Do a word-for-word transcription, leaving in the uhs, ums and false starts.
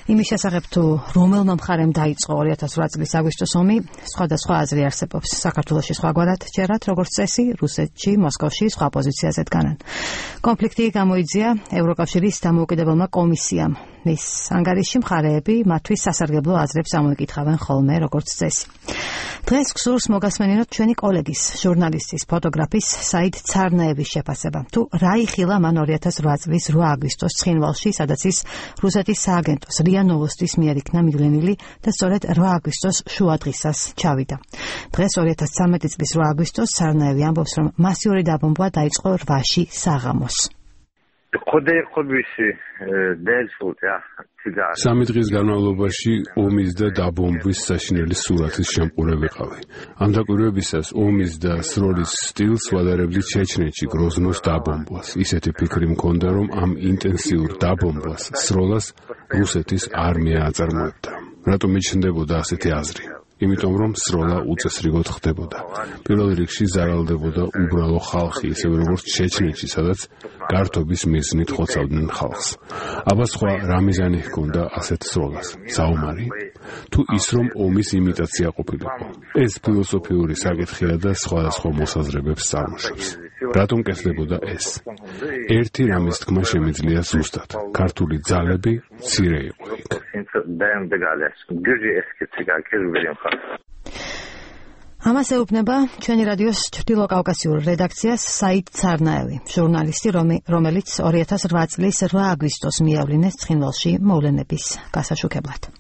იმის შესახებ თუ რომელმა მხარემ დაიწყო ორი ათას ორი წლის აგვისტოს ომი, სხვადასხვა აზრი არსებობს. საქართველოში სხვაგვარად ჯერათ, როგორც წესი, რუსეთში, მოსკოვში სხვა პოზიციაზე დგანან. კონფლიქტი გამოიძია ევროკავშირის დამოუკიდებელმა კომისიამ. მის ანგარიშში მხარეები მათთვის სასარგებლო აზრებს ამოიკითხავენ ხოლმე, როგორც წესი. დღეს გსურს მოგასმენინოთ ჩვენი კოლეგის, ჟურნალისტის, ფოტოგრაფის საიდ ცარნაევის შეფასება. თუ რა იხილა მან ორი ათას რვა წლის რვა აგვისტოს ცხინვალში, სადაც ის რუსეთის სააგენტოს რია ნოვოსტის მიერ იქნა მიგლენილი და სწორედ რვა აგვისტოს შუადღისას ჩავიდა. დღეს ორი ათას ცხრამეტი წლის რვა აგვისტოს ცარნაევი ამბობს, რომ მასიური დაბომბვა დაიწყო რვაში საღამოს. სამი დღის განმავლობაში ომის და დაბომბვის საშინელი სურათის შემყურე ვიყავი. ამ დაკვირვებისას ომის და სროლის სტილს ვადარებდი ჩეჩნეთში გროზნოს დაბომბვას. ისეთი ფიქრი მქონდა, რომ ამ ინტენსიურ დაბომბვას სროლას რუსეთის არმია აწარმოებდა. რატომ მიჩნდებოდა ასეთი აზრი? იმიტომ რომ სროლა უწესრიგოდ ხდებოდა. პირველ რიგში ზარალდებოდა უბრალო ხალხი, ისევე როგორც ჩეჩნეთში, სადაც გართობის მიზნით ხოცავდნენ ხალხს. აბა სხვა რა მიზანი ჰქონდა ასეთ სროლას? საომარი? თუ ის რომ ომის იმიტაცია ყოფილიყო? ეს ფილოსოფიური საკითხია და სხვადასხვა მოსაზრებებს წარმოშობს. რატომ კეთდებოდა ეს? ერთი რამის თქმა შემიძლია ზუსტად. ქართული ძალები მცირე იყო იქ. ამას ეუბნება ჩვენი რადიოს ჩრდილო კავკასიურ რედაქციას საიდ ცარნაევი, ჟურნალისტი, რომელიც ორი ათას რვა წლის რვა აგვისტოს მიავლინეს ცხინვალში მოვლენების გასაშუქებლად.